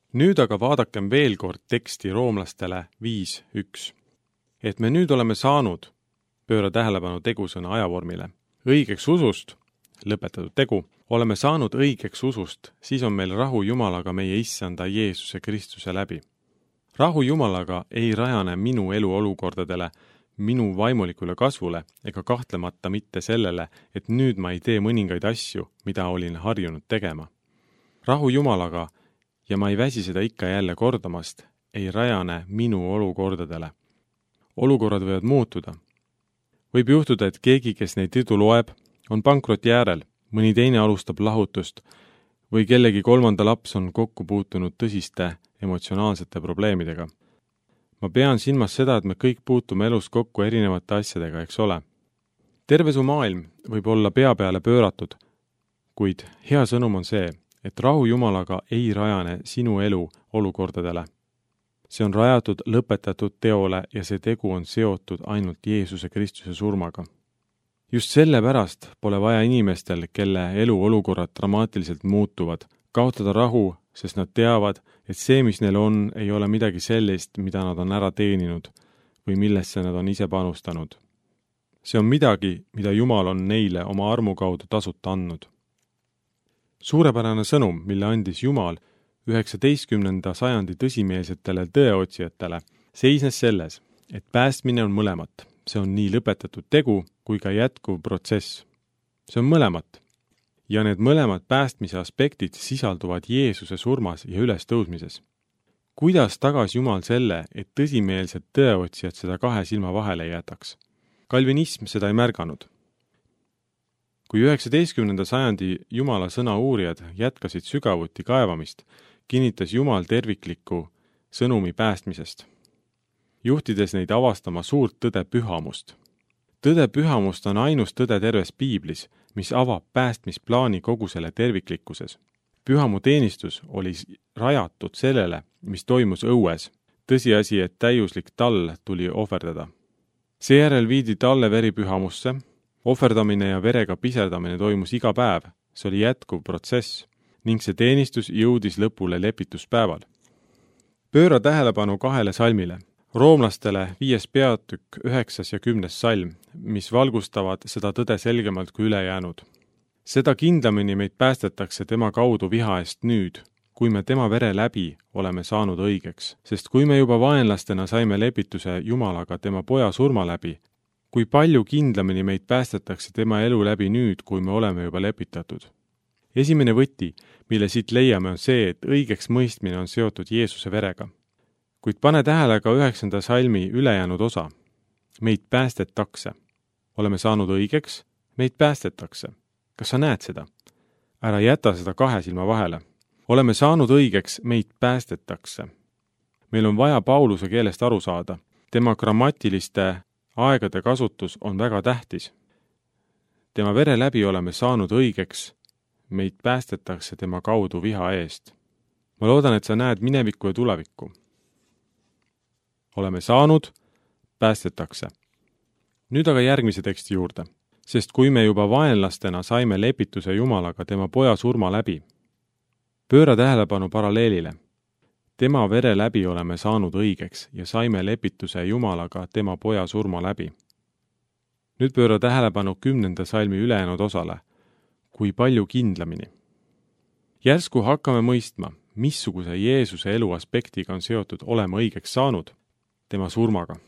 Nüüd aga vaadakem veel kord teksti Roomlastele 5.1. Et me nüüd oleme saanud, pööra tähelepanu tegusõna ajavormile, õigeks usust, lõpetatud tegu, oleme saanud õigeks usust, siis on meil rahu Jumalaga meie Issanda Jeesuse Kristuse läbi. Rahu Jumalaga ei rajane minu elu olukordadele, minu vaimulikule kasvule ega kahtlemata mitte sellele, et nüüd ma ei tee mõningaid asju, mida olin harjunud tegema. Rahu Jumalaga, ja ma ei väsi seda ikka jälle kordamast, ei rajane minu olukordadele. Olukorrad võivad muutuda. Võib juhtuda, et keegi, kes neid jutu loeb, on pankroti äärel, mõni teine alustab lahutust või kellegi kolmanda laps on kokku puutunud tõsiste emotsionaalsete probleemidega. Ma pean silmas seda, et me kõik puutume elus kokku erinevate asjadega, eks ole. Terve su maailm võib olla pea peale pööratud, kuid hea sõnum on see, et rahu Jumalaga ei rajane sinu elu olukordadele. See on rajatud lõpetatud teole ja see tegu on seotud ainult Jeesuse Kristuse surmaga. Just sellepärast pole vaja inimestel, kelle elu olukorrad dramaatiliselt muutuvad, kaotada rahu, sest nad teavad, et see, mis neil on, ei ole midagi sellist, mida nad on ära teeninud või millesse nad on ise panustanud. See on midagi, mida Jumal on neile oma armu kaudu tasuta andnud. Suurepärane sõnum, mille andis Jumal 19. sajandi tõsimeelsetele tõeotsijatele, seisnes selles, et päästmine on mõlemat. See on nii lõpetatud tegu kui ka jätkuv protsess. See on mõlemat. Ja need mõlemad päästmise aspektid sisalduvad Jeesuse surmas ja ülestõusmises. Kuidas tagas Jumal selle, et tõsimeelsed tõeotsijad seda kahe silma vahele ei jätaks? Kalvinism seda ei märganud. Kui 19. sajandi Jumala sõna uurijad jätkasid sügavuti kaevamist, kinnitas Jumal tervikliku sõnumi päästmisest, juhtides neid avastama suurt tõde pühamust. Tõde pühamust on ainus tõde terves Piiblis, mis avab päästmisplaani kogu selle terviklikkuses. Pühamu teenistus oli rajatud sellele, mis toimus õues, tõsiasi, et täiuslik tall tuli ohverdada. Seejärel viidi talle veri pühamusse, ohverdamine ja verega piserdamine toimus iga päev, see oli jätkuv protsess ning see teenistus jõudis lõpule lepituspäeval. Pööra tähelepanu kahele salmile. Roomlastele 5. peatükk 9. ja 10. salm, mis valgustavad seda tõde selgemalt kui ülejäänud. Seda kindlamini meid päästetakse tema kaudu viha eest nüüd, kui me tema vere läbi oleme saanud õigeks, sest kui me juba vaenlastena saime lepituse Jumalaga tema poja surma läbi, kui palju kindlamini meid päästetakse tema elu läbi nüüd, kui me oleme juba lepitatud. Esimene võti, mille siit leiame, on see, et õigeks mõistmine on seotud Jeesuse verega. Kuid pane tähele ka 9. salmi ülejäänud osa. Meid päästetakse. Oleme saanud õigeks, meid päästetakse. Kas sa näed seda? Ära jäta seda kahe silma vahele. Oleme saanud õigeks, meid päästetakse. Meil on vaja Pauluse keelest aru saada. Tema grammatiliste aegade kasutus on väga tähtis. Tema vere läbi oleme saanud õigeks, meid päästetakse tema kaudu viha eest. Ma loodan, et sa näed minevikku ja tulevikku. Oleme saanud, päästetakse. Nüüd aga järgmise teksti juurde, sest kui me juba vaenlastena saime lepituse Jumalaga tema poja surma läbi, pööra tähelepanu paralleelile. Tema vere läbi oleme saanud õigeks ja saime lepituse Jumalaga tema poja surma läbi. Nüüd pööra tähelepanu 10. salmi ülejäänud osale, kui palju kindlamini. Järsku hakkame mõistma, missuguse Jeesuse elu aspektiga on seotud olema õigeks saanud, tema surmaga.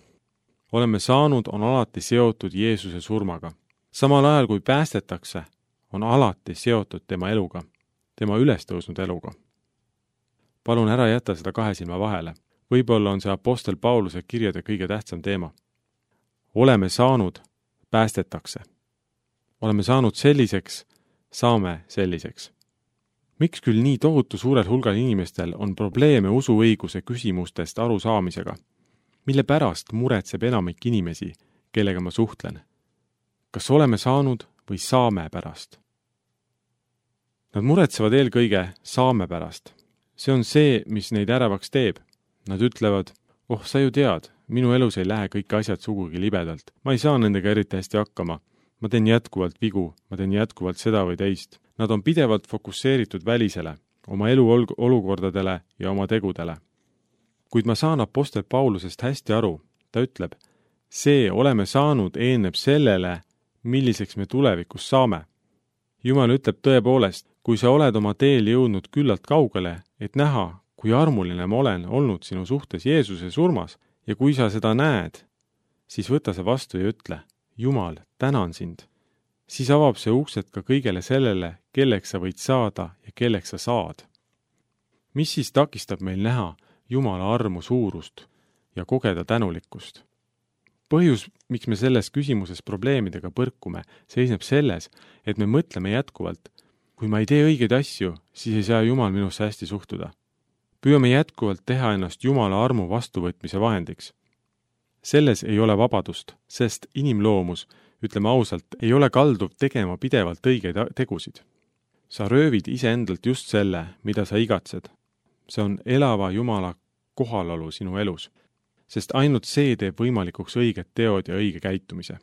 Oleme saanud on alati seotud Jeesuse surmaga. Samal ajal kui päästetakse, on alati seotud tema eluga, tema ülestõusnud eluga. Palun ära jätta seda kahe silma vahele. Võib-olla on see apostel Pauluse kirjade kõige tähtsam teema. Oleme saanud, päästetakse. Oleme saanud selliseks, saame selliseks. Miks küll nii tohutu suurel hulgal inimestel on probleeme usuõiguse küsimustest aru saamisega? Mille pärast muretseb enamik inimesi, kellega ma suhtlen? Kas oleme saanud või saame pärast? Nad muretsevad eelkõige saame pärast. See on see, mis neid ärevaks teeb. Nad ütlevad, sa ju tead, minu elus ei lähe kõik asjad sugugi libedalt. Ma ei saa nendega eriti hästi hakkama. Ma teen jätkuvalt vigu, ma teen jätkuvalt seda või teist. Nad on pidevalt fokusseeritud välisele. oma elu olukordadele ja oma tegudele. Kuid ma saan apostel Paulusest hästi aru, ta ütleb, see oleme saanud eeneb sellele, milliseks me tulevikus saame. Jumal ütleb tõepoolest, kui sa oled oma teel jõudnud küllalt kaugele, et näha, kui armuline ma olen olnud sinu suhtes Jeesuse surmas ja kui sa seda näed, siis võta see vastu ja ütle, Jumal, tänan sind. Siis avab see uksed ka kõigele sellele, kelleks sa võid saada ja kelleks sa saad. Mis siis takistab meil näha Jumala armu suurust ja kogeda tänulikkust? Põhjus, miks me selles küsimuses probleemidega põrkume, seisneb selles, et me mõtleme jätkuvalt, kui ma ei tee õigeid asju, siis ei saa Jumal minusse hästi suhtuda. Püüame jätkuvalt teha ennast Jumala armu vastuvõtmise vahendiks. Selles ei ole vabadust, sest inimloomus, ütleme ausalt, ei ole kalduv tegema pidevalt õigeid tegusid. Sa röövid iseendalt just selle, mida sa igatsed. See on elava Jumala kohalolu sinu elus, sest ainult see teeb võimalikuks õiged teod ja õige käitumise.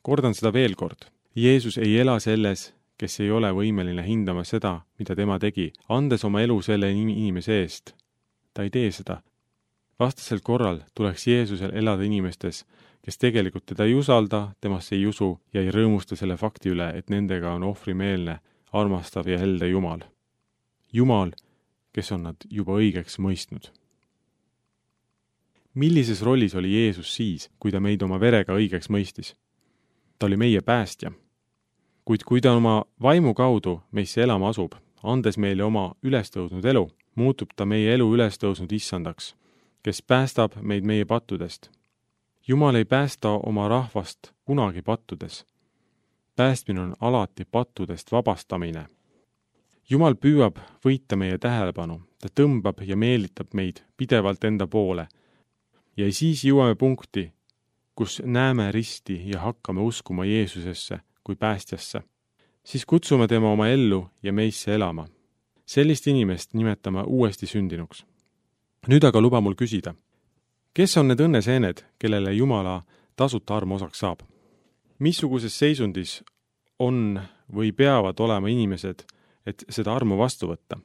Kordan seda veel kord. Jeesus ei ela selles, kes ei ole võimeline hindama seda, mida tema tegi, andes oma elu selle inimese eest. Ta ei tee seda. Vastasel korral tuleks Jeesusel elada inimestes, kes tegelikult teda ei usalda, temasse ei usu ja ei rõõmusta selle fakti üle, et nendega on ohvrimeelne, armastav ja helde Jumal. Jumal, kes on nad juba õigeks mõistnud. Millises rollis oli Jeesus siis, kui ta meid oma verega õigeks mõistis? Ta oli meie päästja. Kuid kui ta oma vaimu kaudu meisse elama asub, andes meile oma ülestõusnud elu, muutub ta meie elu ülestõusnud issandaks, kes päästab meid meie pattudest. Jumal ei päästa oma rahvast kunagi pattudes. Päästmine on alati pattudest vabastamine. Jumal püüab võita meie tähelepanu, ta tõmbab ja meelitab meid pidevalt enda poole. Ja siis jõuame punkti, kus näeme risti ja hakkame uskuma Jeesusesse kui päästjasse. Siis kutsume tema oma ellu ja meisse elama. Sellist inimest nimetame uuesti sündinuks. Nüüd aga luba mul küsida, kes on need õnneseened, kellele Jumala tasuta arm osaks saab? Missuguses seisundis on või peavad olema inimesed, et seda armu vastu võtta?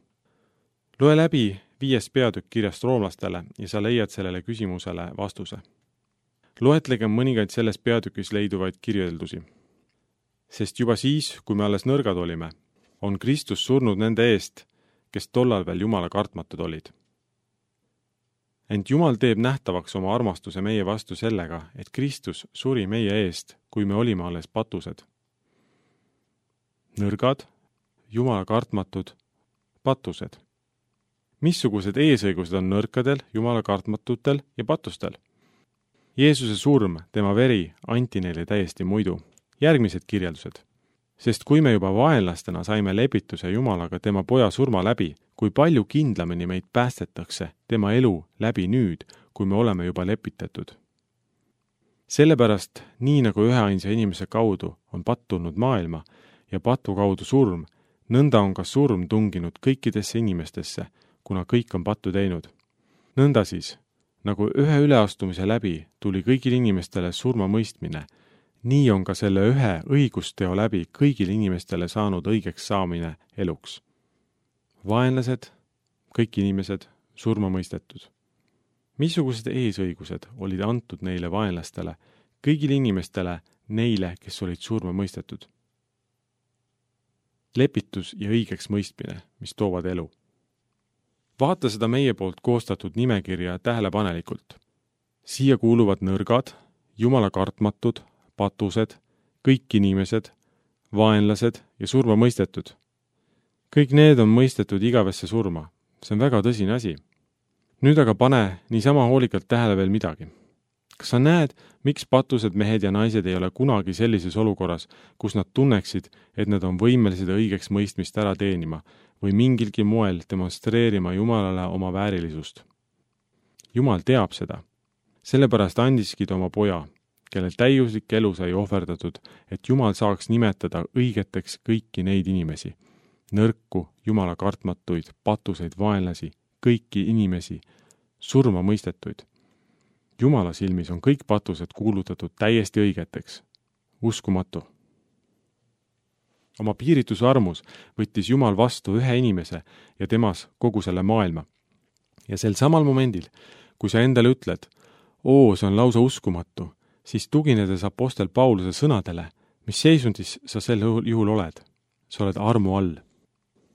Loe läbi 5. peatükk kirjast roomlastele ja sa leiad sellele küsimusele vastuse. Loetlege mõningaid selles peatükis leiduvaid kirjeldusi. Sest juba siis, kui me alles nõrgad olime, on Kristus surnud nende eest, kes tollal veel Jumala kartmatud olid. Ent Jumal teeb nähtavaks oma armastuse meie vastu sellega, et Kristus suri meie eest, kui me olime alles patused. Nõrgad, Jumala kartmatud, patused. Missugused eesõigused on nõrkadel, Jumala kartmatutel ja patustel? Jeesuse surm, tema veri, anti neile täiesti muidu. Järgmised kirjeldused. Sest kui me juba vaenlastena saime lepituse Jumalaga tema poja surma läbi, kui palju kindlamini meid päästetakse tema elu läbi nüüd, kui me oleme juba lepitatud. Sellepärast, nii nagu üheainsa inimese kaudu on patt tulnud maailma ja patu kaudu surm, nõnda on ka surm tunginud kõikidesse inimestesse, kuna kõik on pattu teinud. Nõnda siis, nagu ühe üleastumise läbi tuli kõigil inimestele surma mõistmine, nii on ka selle ühe õigusteo läbi kõigil inimestele saanud õigeks saamine eluks. Vaenlased, kõik inimesed, surma mõistetud. Missugused eesõigused olid antud neile vaenlastele, kõigil inimestele, neile, kes olid surma mõistetud? Lepitus ja õigeks mõistmine, mis toovad elu. Vaata seda meie poolt koostatud nimekirja tähelepanelikult. Siia kuuluvad nõrgad, Jumala kartmatud, patused, kõik inimesed, vaenlased ja surma mõistetud. Kõik need on mõistetud igavesse surma. See on väga tõsine asi. Nüüd aga pane niisama hoolikalt tähele veel midagi. Kas sa näed, miks patused mehed ja naised ei ole kunagi sellises olukorras, kus nad tunneksid, et nad on võimelised õigeks mõistmist ära teenima või mingilgi moel demonstreerima Jumalale oma väärilisust? Jumal teab seda. Sellepärast andiski ta oma poja, kelle täiuslik elu sai ohverdatud, et Jumal saaks nimetada õigeteks kõiki neid inimesi. Nõrku, Jumala kartmatuid, patuseid, vaenlasi, kõiki inimesi, surma mõistetuid. Jumala silmis on kõik patused kuulutatud täiesti õigeteks. Uskumatu. Oma piiritus armus võttis Jumal vastu ühe inimese ja temas kogu selle maailma. Ja sel samal momendil, kui sa endale ütled, see on lausa uskumatu, siis tuginedes apostel Pauluse sõnadele, mis seisundis sa sel juhul oled. Sa oled armu all.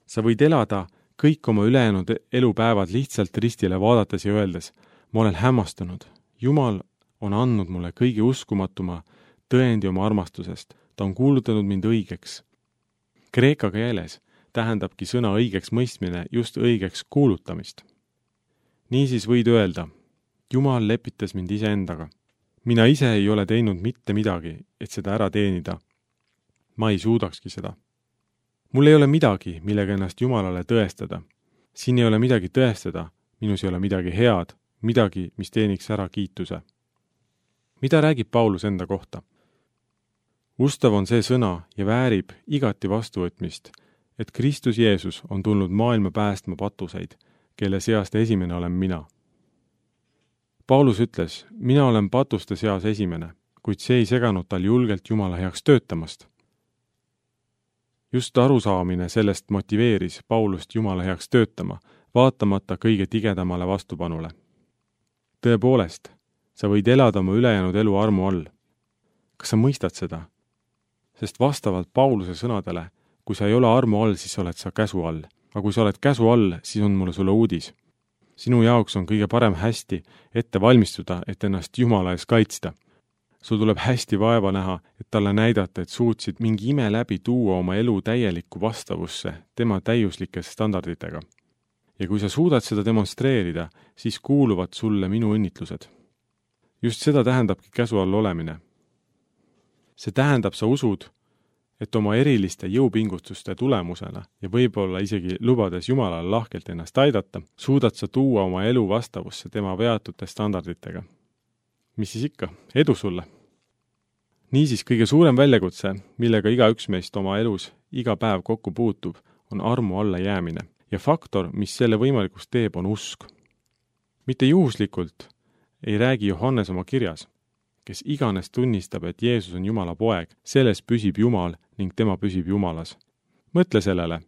Sa võid elada kõik oma ülejäänud elupäevad lihtsalt ristile vaadates ja öeldes, ma olen hämmastunud. Jumal on andnud mulle kõige uskumatuma tõendi oma armastusest. Ta on kuulutanud mind õigeks. Kreeka keeles tähendabki sõna õigeks mõistmine just õigeks kuulutamist. Niisiis võid öelda, Jumal lepitas mind iseendaga. Mina ise ei ole teinud mitte midagi, et seda ära teenida. Ma ei suudakski seda. Mul ei ole midagi, millega ennast Jumalale tõestada. Siin ei ole midagi tõestada, minus ei ole midagi head, midagi, mis teeniks ära kiituse. Mida räägib Paulus enda kohta? Ustav on see sõna ja väärib igati vastuvõtmist, et Kristus Jeesus on tulnud maailma päästma patuseid, kelle seast esimene olen mina. Paulus ütles, mina olen patuste seas esimene, kuid see ei seganud tal julgelt Jumala heaks töötamast. Just arusaamine sellest motiveeris Paulust Jumala heaks töötama, vaatamata kõige tigedamale vastupanule. Tõepoolest, sa võid elada oma ülejäänud elu armu all. Kas sa mõistad seda? Sest vastavalt Pauluse sõnadele, kui sa ei ole armu all, siis oled sa käsu all. Aga kui sa oled käsu all, siis on mulle sulle uudis. Sinu jaoks on kõige parem hästi ette valmistuda, et ennast Jumala ees kaitsta. Sul tuleb hästi vaeva näha, et talle näidata, et suutsid mingi ime läbi tuua oma elu täielikku vastavusse tema täiuslike standarditega. Ja kui sa suudad seda demonstreerida, siis kuuluvad sulle minu õnnitlused. Just seda tähendabki käsu all olemine. See tähendab, sa usud, et oma eriliste jõupingutuste tulemusena ja võib-olla isegi lubades Jumalale lahkelt ennast aidata, suudad sa tuua oma elu vastavusse tema veatute standarditega. Mis siis ikka? Edu sulle! Niisiis kõige suurem väljakutse, millega igaüks meist oma elus iga päev kokku puutub, on armu alla jäämine. Ja faktor, mis selle võimalikuks teeb, on usk. Mitte juhuslikult ei räägi Johannes oma kirjas, kes iganes tunnistab, et Jeesus on Jumala poeg, selles püsib Jumal ning tema püsib Jumalas. Mõtle sellele.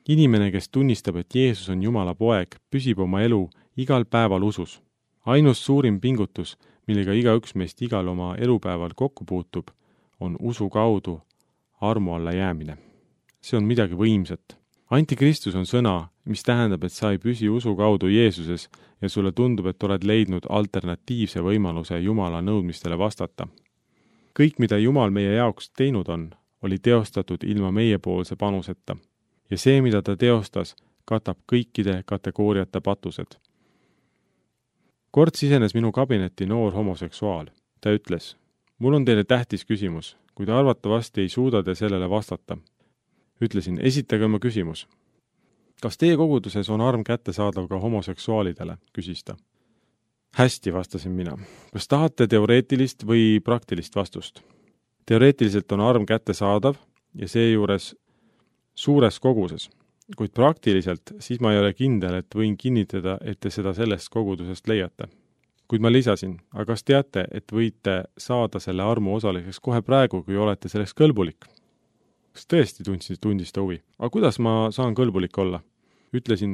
Inimene, kes tunnistab, et Jeesus on Jumala poeg, püsib oma elu igal päeval usus. Ainus suurim pingutus, millega igaüks meist igal oma elupäeval kokku puutub, on usu kaudu armu alla jäämine. See on midagi võimsat. Antikristus on sõna, mis tähendab, et sa ei püsi usu kaudu Jeesuses ja sulle tundub, et oled leidnud alternatiivse võimaluse Jumala nõudmistele vastata. Kõik, mida Jumal meie jaoks teinud on, oli teostatud ilma meiepoolse panuseta. Ja see, mida ta teostas, katab kõikide kategooriate patused. Kord sisenes minu kabinetti noor homoseksuaal. Ta ütles, mul on teile tähtis küsimus, kuid arvatavasti ei suuda te sellele vastata. Ütlesin, esitage oma küsimus. Kas teie koguduses on arm kättesaadav ka homoseksuaalidele, küsis ta. Hästi, vastasin mina. Kas tahate teoreetilist või praktilist vastust? Teoreetiliselt on arm kättesaadav ja seejuures suures koguses, kuid praktiliselt siis ma ei ole kindel, et võin kinnitada, et te seda sellest kogudusest leiate. Kuid ma lisasin, aga kas teate, et võite saada selle armu osaliseks kohe praegu, kui olete selleks kõlbulik? Kas tõesti tundis ta huvi? Aga kuidas ma saan kõlbulik olla? Ütlesin,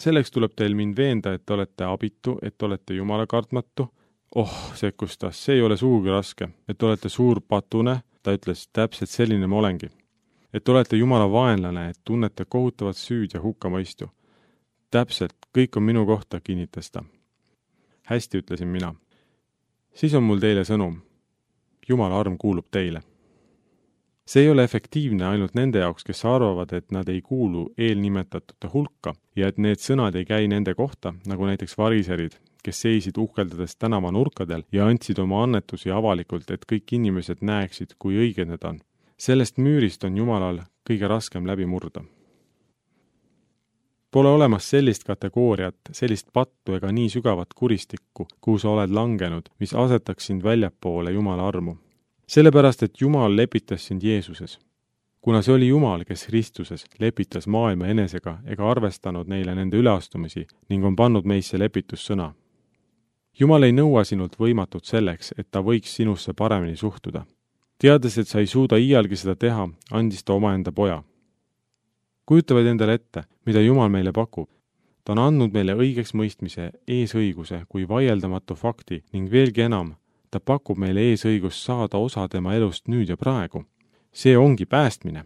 selleks tuleb teil mind veenda, et olete abitu, et olete Jumala kartmatu. Sekkus ta, see ei ole sugugi raske. Et olete suur patune, ta ütles, täpselt selline ma olengi. Et olete Jumala vaenlane, et tunnete kohutavat süüd ja hukkamõistu. Täpselt, kõik on minu kohta, kinnitas ta. Hästi, ütlesin mina. Siis on mul teile sõnum. Jumala arm kuulub teile. See ei ole efektiivne ainult nende jaoks, kes arvavad, et nad ei kuulu eelnimetatute hulka ja et need sõnad ei käi nende kohta, nagu näiteks variserid, kes seisid uhkeldades tänava nurkadel ja andsid oma annetusi avalikult, et kõik inimesed näeksid, kui õiged need on. Sellest müürist on Jumalal kõige raskem läbi murda. Pole olemas sellist kategooriat, sellist pattu ega nii sügavat kuristikku, kuhu sa oled langenud, mis asetaks sind väljapoole Jumala armu. Sellepärast, et Jumal lepitas sind Jeesuses. Kuna see oli Jumal, kes Kristuses lepitas maailma enesega ega arvestanud neile nende üleastumisi ning on pannud meisse lepitussõna. Jumal ei nõua sinult võimatut selleks, et ta võiks sinusse paremini suhtuda. Teades, et sa ei suuda iialgi seda teha, andis ta omaenda poja. Kujutavad endale ette, mida Jumal meile pakub. Ta on andnud meile õigeks mõistmise eesõiguse kui vaieldamatu fakti ning veelgi enam, ta pakub meile eesõigust saada osa tema elust nüüd ja praegu. See ongi päästmine.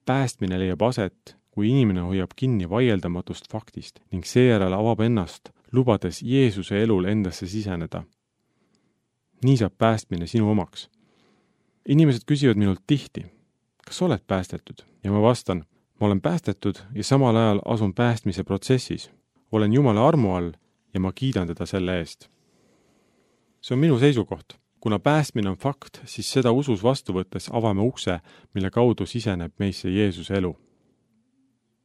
Päästmine leiab aset, kui inimene hoiab kinni vaieldamatust faktist ning seejärel avab ennast, lubades Jeesuse elul endasse siseneda. Nii saab päästmine sinu omaks. Inimesed küsivad minult tihti, kas oled päästetud? Ja ma vastan, ma olen päästetud ja samal ajal asun päästmise protsessis. Olen Jumala armu all ja ma kiidan teda selle eest. See on minu seisukoht. Kuna päästmine on fakt, siis seda usus vastu võttes avame ukse, mille kaudu siseneb meisse Jeesuse elu.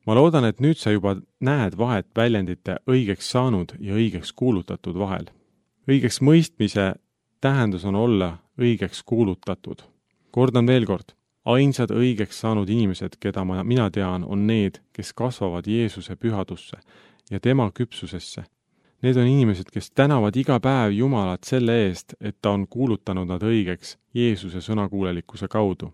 Ma loodan, et nüüd sa juba näed vahet väljendite õigeks saanud ja õigeks kuulutatud vahel. Õigeks mõistmise tähendus on olla õigeks kuulutatud. Kordan veel kord, ainsad õigeks saanud inimesed, keda mina tean, on need, kes kasvavad Jeesuse pühadusse ja tema küpsusesse. Need on inimesed, kes tänavad iga päev Jumalat selle eest, et ta on kuulutanud nad õigeks Jeesuse sõnakuulelikkuse kaudu.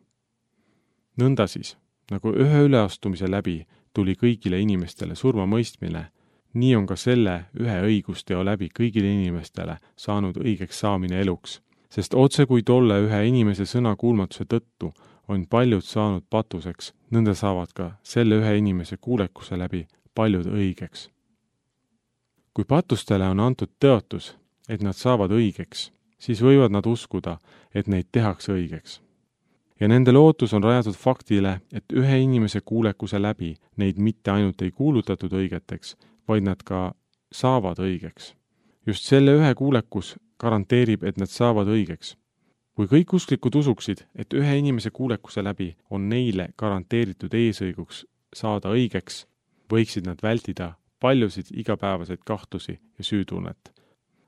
Nõnda siis, nagu ühe üleastumise läbi tuli kõigile inimestele surma mõistmine, nii on ka selle ühe õigusteo läbi kõigile inimestele saanud õigeks saamine eluks, sest otse kui tolle ühe inimese sõnakuulmatuse tõttu on paljud saanud patuseks, nõnda saavad ka selle ühe inimese kuulekuse läbi paljud õigeks. Kui patustele on antud tõotus, et nad saavad õigeks, siis võivad nad uskuda, et neid tehakse õigeks. Ja nende lootus on rajatud faktile, et ühe inimese kuulekuse läbi neid mitte ainult ei kuulutatud õigeteks, vaid nad ka saavad õigeks. Just selle ühe kuulekus garanteerib, et nad saavad õigeks. Kui kõik usklikud usuksid, et ühe inimese kuulekuse läbi on neile garanteeritud eesõiguks saada õigeks, võiksid nad vältida paljusid igapäevaseid kahtlusi ja süütunnet.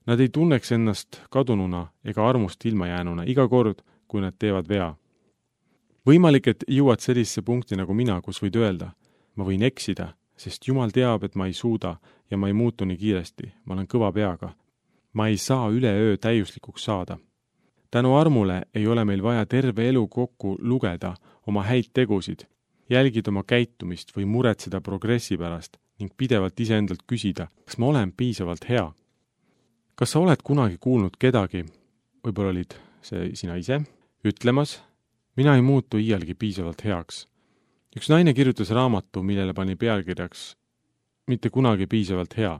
Nad ei tunneks ennast kadununa ega armust ilmajäänuna iga kord, kui nad teevad vea. Võimalik, et jõuad sellisesse punkti nagu mina, kus võid öelda, ma võin eksida, sest Jumal teab, et ma ei suuda ja ma ei muutu nii kiiresti, ma olen kõva peaga. Ma ei saa üleöö täiuslikuks saada. Tänu armule ei ole meil vaja terve elu kokku lugeda oma häid tegusid, jälgida oma käitumist või muretseda progressi pärast ning pidevalt iseendalt küsida, kas ma olen piisavalt hea. Kas sa oled kunagi kuulnud kedagi, võib-olla olid see sina ise, ütlemas, mina ei muutu iialgi piisavalt heaks. Üks naine kirjutas raamatu, millele pani pealkirjaks mitte kunagi piisavalt hea.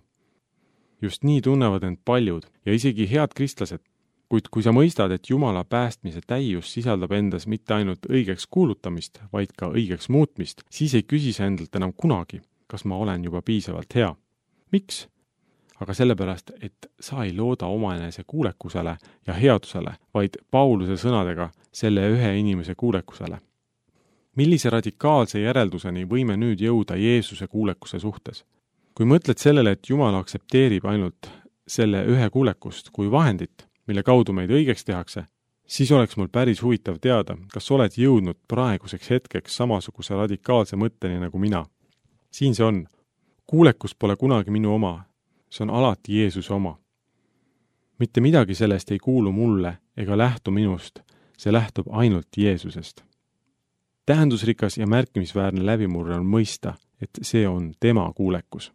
Just nii tunnevad end paljud ja isegi head kristlased, kuid kui sa mõistad, et Jumala päästmise täius sisaldab endas mitte ainult õigeks kuulutamist, vaid ka õigeks muutmist, siis ei küsi sa endalt enam kunagi, kas ma olen juba piisavalt hea. Miks? Aga sellepärast, et sa ei looda omaenese kuulekusele ja headusele, vaid Pauluse sõnadega selle ühe inimese kuulekusele. Millise radikaalse järelduseni võime nüüd jõuda Jeesuse kuulekuse suhtes? Kui mõtled sellele, et Jumal aktsepteerib ainult selle ühe kuulekust kui vahendit, mille kaudu meid õigeks tehakse, siis oleks mul päris huvitav teada, kas oled jõudnud praeguseks hetkeks samasuguse radikaalse mõtteni nagu mina. Siin see on. Kuulekus pole kunagi minu oma, see on alati Jeesuse oma. Mitte midagi sellest ei kuulu mulle ega lähtu minust, see lähtub ainult Jeesusest. Tähendusrikas ja märkimisväärne läbimurre on mõista, et see on tema kuulekus.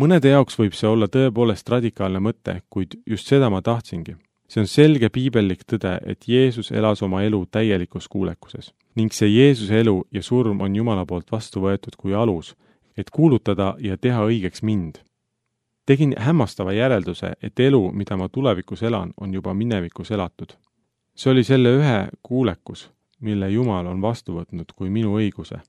Mõnede jaoks võib see olla tõepoolest radikaalne mõte, kuid just seda ma tahtsingi. See on selge piibellik tõde, et Jeesus elas oma elu täielikus kuulekuses. Ning see Jeesuse elu ja surm on Jumala poolt vastu võetud kui alus, et kuulutada ja teha õigeks mind. Tegin hämmastava järelduse, et elu, mida ma tulevikus elan, on juba minevikus elatud. See oli selle ühe kuulekus, mille Jumal on vastu võtnud kui minu õiguse.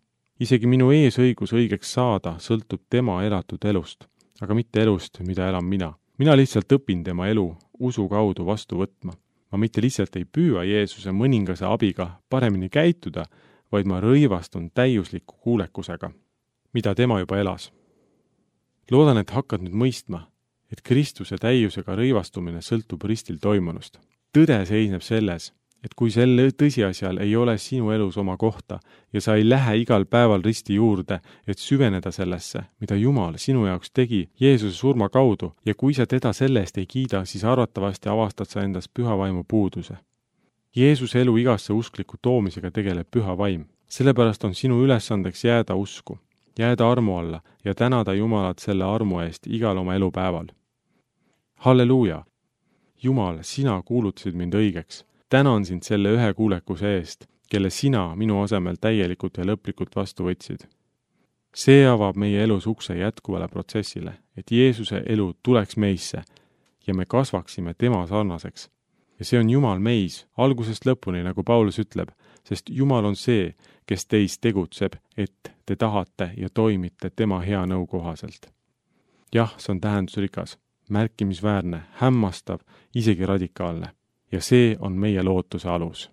Isegi minu eesõigus õigeks saada sõltub tema elatud elust, aga mitte elust, mida elan mina. Mina lihtsalt õpin tema elu usu kaudu vastu võtma. Ma mitte lihtsalt ei püüa Jeesuse mõningase abiga paremini käituda, vaid ma rõivastun täiusliku kuulekusega, mida tema juba elas. Loodan, et hakkad nüüd mõistma, et Kristuse täiusega rõivastumine sõltub ristil toimunust. Tõde seisneb selles, et kui selle tõsiasjal ei ole sinu elus oma kohta ja sa ei lähe igal päeval risti juurde, et süveneda sellesse, mida Jumal sinu jaoks tegi Jeesuse surma kaudu ja kui sa teda selle eest ei kiida, siis arvatavasti avastad sa endas püha vaimu puuduse. Jeesuse elu igasse uskliku toomisega tegeleb Püha Vaim. Sellepärast on sinu ülesandeks jääda usku, jääda armu alla ja tänada Jumalat selle armu eest igal oma elupäeval. Halleluuja! Jumal, sina kuulutasid mind õigeks. Tänan sind selle ühe kuulekuse eest, kelle sina minu asemel täielikult ja lõplikult vastu võtsid. See avab meie elus ukse jätkuvale protsessile, et Jeesuse elu tuleks meisse ja me kasvaksime tema sarnaseks. Ja see on Jumal meis, algusest lõpuni, nagu Paulus ütleb, sest Jumal on see, kes teis tegutseb, et te tahate ja toimite tema hea nõu kohaselt. Jah, see on tähendusrikas, märkimisväärne, hämmastav, isegi radikaalne. Ja see on meie lootuse alus.